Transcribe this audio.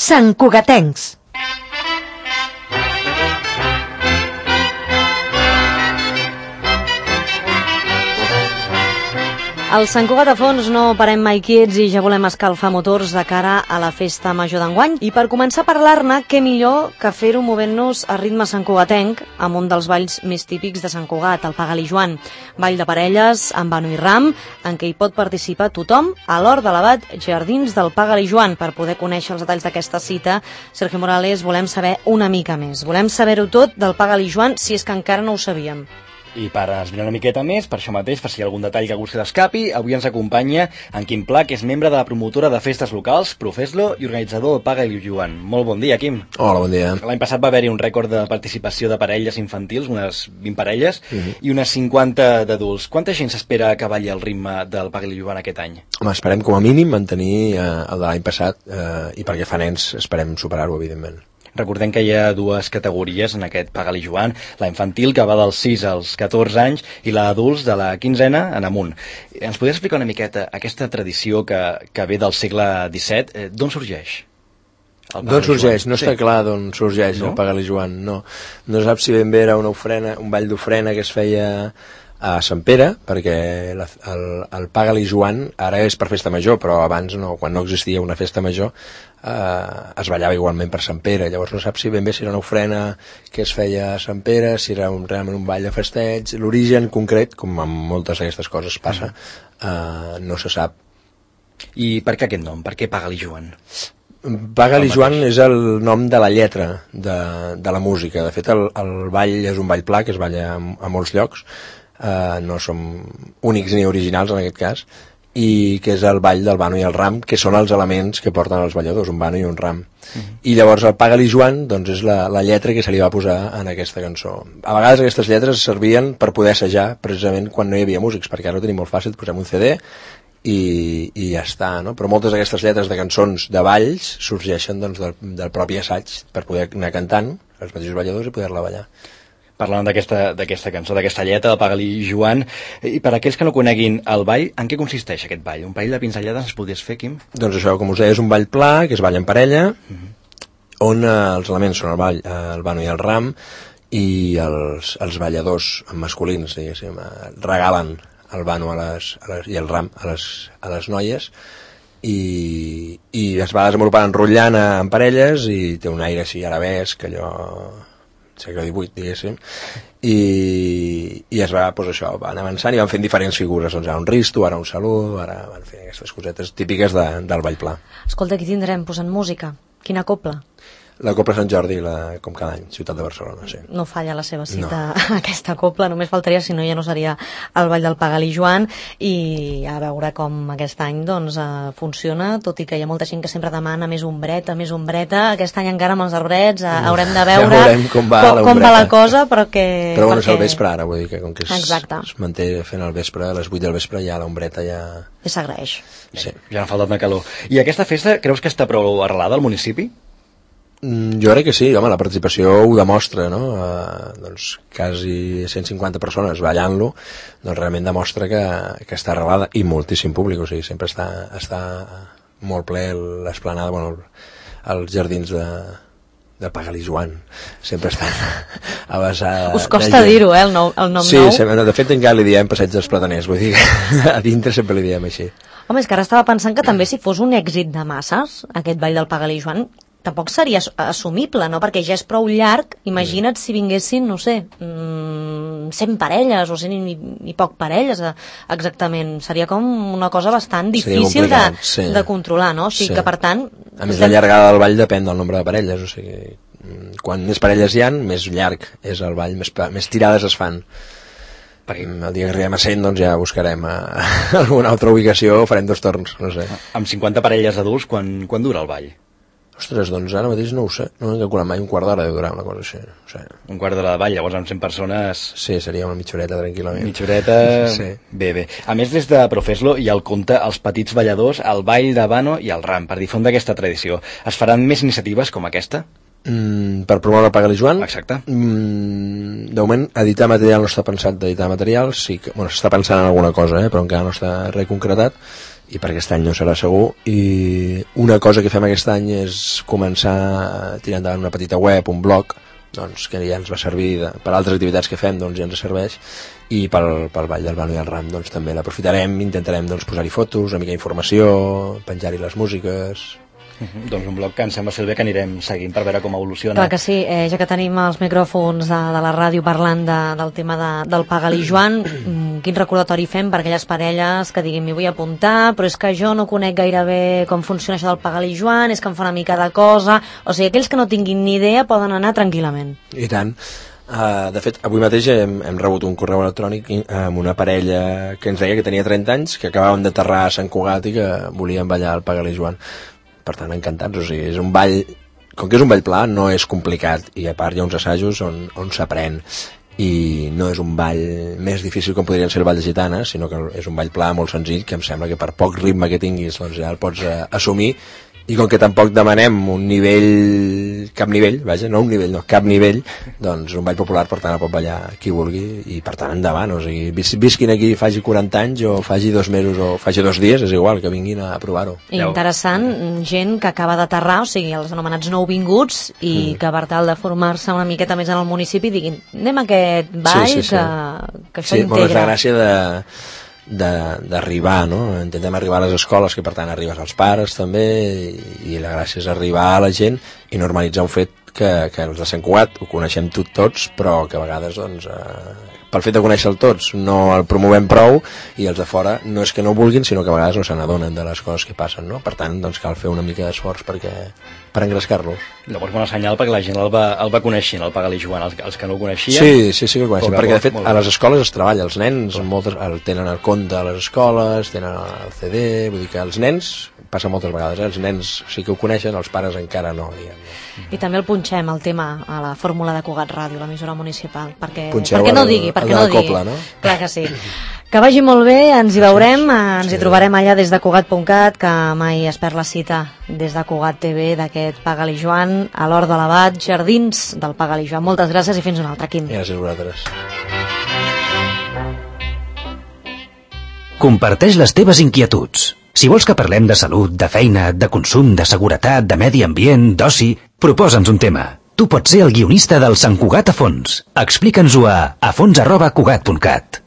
Santcugatencs. Al Sant Cugat a fons no parem mai quiets i ja volem escalfar motors de cara a la festa major d'enguany. I per començar a parlar-ne, què millor que fer-ho movent-nos a ritme santcugatenc amb un dels balls més típics de Sant Cugat, el Pagal i Joan. Ball de parelles amb Bano i Ram, en què hi pot participar tothom a l'Hort de l'Abat Jardins del Pagal i Joan. Per poder conèixer els detalls d'aquesta cita, Sergio Morales, volem saber una mica més. Volem saber-ho tot del Pagal i Joan, si és que encara no ho sabíem. I per esbrinar una miqueta més, per això mateix, per si hi ha algun detall que algú se l'escapi, avui ens acompanya en Quim Pla, que és membre de la promotora de festes locals, Profeslo, i organitzador del Pagal i Joan. Molt bon dia, Quim. Hola, bon dia. L'any passat va haver-hi un rècord de participació de parelles infantils, unes 20 parelles, i unes 50 d'adults. Quanta gent s'espera que balli el ritme del Pagal i Joan aquest any? Home, esperem com a mínim mantenir el de l'any passat, i perquè fa nens esperem superar-ho, evidentment. Recordem que hi ha dues categories en aquest Pagal i Joan, la infantil, que va dels 6 als 14 anys, i la d'adults de la 15a en amunt. Ens podries explicar una miqueta aquesta tradició que ve del segle XVII? D'on sorgeix? D'on sorgeix? No està clar d'on sorgeix el Pagal i Joan, no. No saps si ben bé era una ofrena, un ball d'ofrena que es feia a Sant Pere, perquè el Pagal i Joan ara és per festa major, però abans, no, quan no existia una festa major, es ballava igualment per Sant Pere. Llavors no saps si ben bé si era una ofrena que es feia a Sant Pere, si era realment un ball de festeig. L'origen concret, com amb moltes d'aquestes coses passa, no se sap. I per què aquest nom? Per què Pagal i Joan? Pagal i Joan és el nom de la lletra de la música. De fet, el ball és un ball pla que es balla a molts llocs, no som únics ni originals en aquest cas, i que és el ball del Bano i el Ram, que són els elements que porten els balladors, un Bano i un Ram. I llavors el Pagal i Joan doncs, és la lletra que se li va posar en aquesta cançó. A vegades aquestes lletres servien per poder assajar, precisament quan no hi havia músics, perquè ara ho tenim molt fàcil, posem un CD i ja està, no? Però moltes d'aquestes lletres de cançons de balls sorgeixen doncs, del propi assaig, per poder anar cantant els mateixos balladors i poder-la ballar. Parlant d'aquesta cançó, d'aquesta lletra, del Pagal i Joan, i per aquells que no coneguin el ball, en què consisteix aquest ball? Un parell de pinzellades ens podries fer, Quim? Doncs això, com us deia, és un ball pla, que es balla en parella, on els elements són el ball, el Bano i el Ram, i els balladors masculins, diguéssim, regalen el Bano i el Ram a les noies, i es va desenvolupant enrotllant en parelles, i té un aire així arabesc, allò segle XVIII, diguéssim, i es va, doncs això, van avançant i van fent diferents figures, doncs ara un risto, ara un salut, ara van fent aquestes cosetes típiques del ball pla. Escolta, aquí tindrem posant música. Quina copla? La Copla Sant Jordi, com cada any, ciutat de Barcelona, sí. No falla la seva cita, no. Aquesta copla, només faltaria, si no ja no seria el ball del Pagal i Joan, i a veure com aquest any doncs, funciona, tot i que hi ha molta gent que sempre demana més ombreta, aquest any encara amb els arbrets haurem de veure com va la cosa, però que... Però bueno, és el vespre ara, vull dir que com que es manté fent el vespre, a les 8 del vespre ja l'ombreta ja... I s'agraeix. Sí. Ja n'ha faltat de calor. I aquesta festa creus que està prou arrelada al municipi? Jo crec que sí, home, la participació ho demostra, no? Doncs quasi 150 persones ballant-lo, doncs realment demostra que està arrelada, i moltíssim públic, o sigui, sempre està molt ple l'esplanada, bueno, els jardins de Pagal i Joan, sempre estan a vessar... Us costa dir-ho, el nom nou? Sí, de fet encara li diem Passeig dels Plataners, vull dir que a dintre sempre li diem així. Home, és que ara estava pensant que també si fos un èxit de masses, aquest ball del Pagal i Joan, tampoc seria assumible, no? Perquè ja és prou llarg. Imagina't si vinguessin, no sé, 100 parelles o 100 i poc parelles, exactament. Seria com una cosa bastant difícil de controlar, no? O sigui que, per tant... A més, la llargada del ball depèn del nombre de parelles, o sigui, quan més parelles hi ha, més llarg és el ball, més tirades es fan. Perquè el dia que arribem a 100 doncs ja buscarem alguna altra ubicació o farem 2 torns, no sé. Amb 50 parelles adults, quan dura el ball? Ostres, doncs ara mateix no ho sé, no he calculat mai, un quart d'hora deu durar una cosa així. O sigui. Un quart d'hora de ball, llavors amb 100 persones... Sí, seria una mitja horeta tranquil·lament. Mitja horeta, sí. Bé. A més, des de Profeslo hi ha el conte Els petits balladors, el ball de Bano i el Ram, per difondre aquesta tradició. Es faran més iniciatives com aquesta? Per promoure el Pagal i Joan? Exacte. De moment, editar material no està pensat d'editar material, sí que, bueno, s'està pensant en alguna cosa, però encara no està res concretat. i per aquest any no serà segur. I una cosa que fem aquest any és començar a tirar endavant una petita web, un blog, doncs, que ja ens va servir per altres activitats que fem, doncs ja ens serveix, i pel Ball del Bano i el Ram doncs, també l'aprofitarem, intentarem doncs, posar-hi fotos, una mica d'informació, penjar-hi les músiques. Doncs un blog que em sembla ser bé que anirem seguint per veure com evoluciona. Clar que sí, ja que tenim els micròfons de la ràdio parlant del tema del Pagal·li Joan, quin recordatori fem per aquelles parelles que diguin m'hi vull apuntar, però és que jo no conec gairebé com funciona això del Pagal·li Joan, és que em fa una mica de cosa, o sigui, aquells que no tinguin ni idea poden anar tranquil·lament. I tant. De fet, avui mateix hem rebut un correu electrònic amb una parella que ens deia que tenia 30 anys, que acabàvem d'aterrar a Sant Cugat i que volien ballar el Pagal·li Joan. Per tant, encantats, o sigui, és un ball, com que és un ball pla, no és complicat, i a part hi ha uns assajos on s'aprèn, i no és un ball més difícil com podrien ser el ball de gitanes, sinó que és un ball pla molt senzill, que em sembla que per poc ritme que tinguis, doncs ja el pots assumir, i com que tampoc demanem un nivell, cap nivell, vaja, no un nivell, no, cap nivell, doncs un ball popular, per tant el pot ballar qui vulgui, i per tant endavant, o sigui, visquin aquí faci 40 anys o faci 2 mesos o faci 2 dies, és igual, que vinguin a provar-ho. Interessant, gent que acaba d'aterrar, o sigui, els anomenats nouvinguts, i que per tal de formar-se una miqueta més en el municipi diguin, anem a aquest ball, que això integra. Sí, és la gràcia d'arribar, no? Intentem arribar a les escoles, que per tant arribes als pares també, i la gràcia és arribar a la gent i normalitzar un fet que els de Sant Cugat ho coneixem tots, però que a vegades doncs, pel fet de conèixer-lo tots no el promovem prou, i els de fora no és que no vulguin, sinó que a vegades no se n'adonen de les coses que passen, no? Per tant, doncs cal fer una mica d'esforç per engrescar-los. Llavors, bona senyal perquè la gent el va coneixent, el Pagal·li Joan, els que no ho coneixien. Sí que ho coneixen, perquè de fet a les escoles es treballa, els nens tenen el conte a les escoles, tenen el CD, vull dir que els nens, passa moltes vegades, els nens sí que ho coneixen, els pares encara no, diguem. I també el punxem, el tema, a la fórmula de Cugat Ràdio, l'emissora municipal, perquè no digui. Copla, no? Clar que sí. Que vagi molt bé, ens hi veurem, ens hi trobarem allà des de Cugat.cat, que mai es perd la cita des de Cugat TV d'aquest Pagal·li Joan, a l'Hort de l'Abat, jardins del Pagal·li Joan. Moltes gràcies i fins un altre, Quim. Gràcies a vosaltres. Comparteix les teves inquietuds. Si vols que parlem de salut, de feina, de consum, de seguretat, de medi ambient, d'oci, proposa'ns un tema. Tu pots ser el guionista del Sant Cugat a fons. Explica'ns-ho a fons@cugat.cat.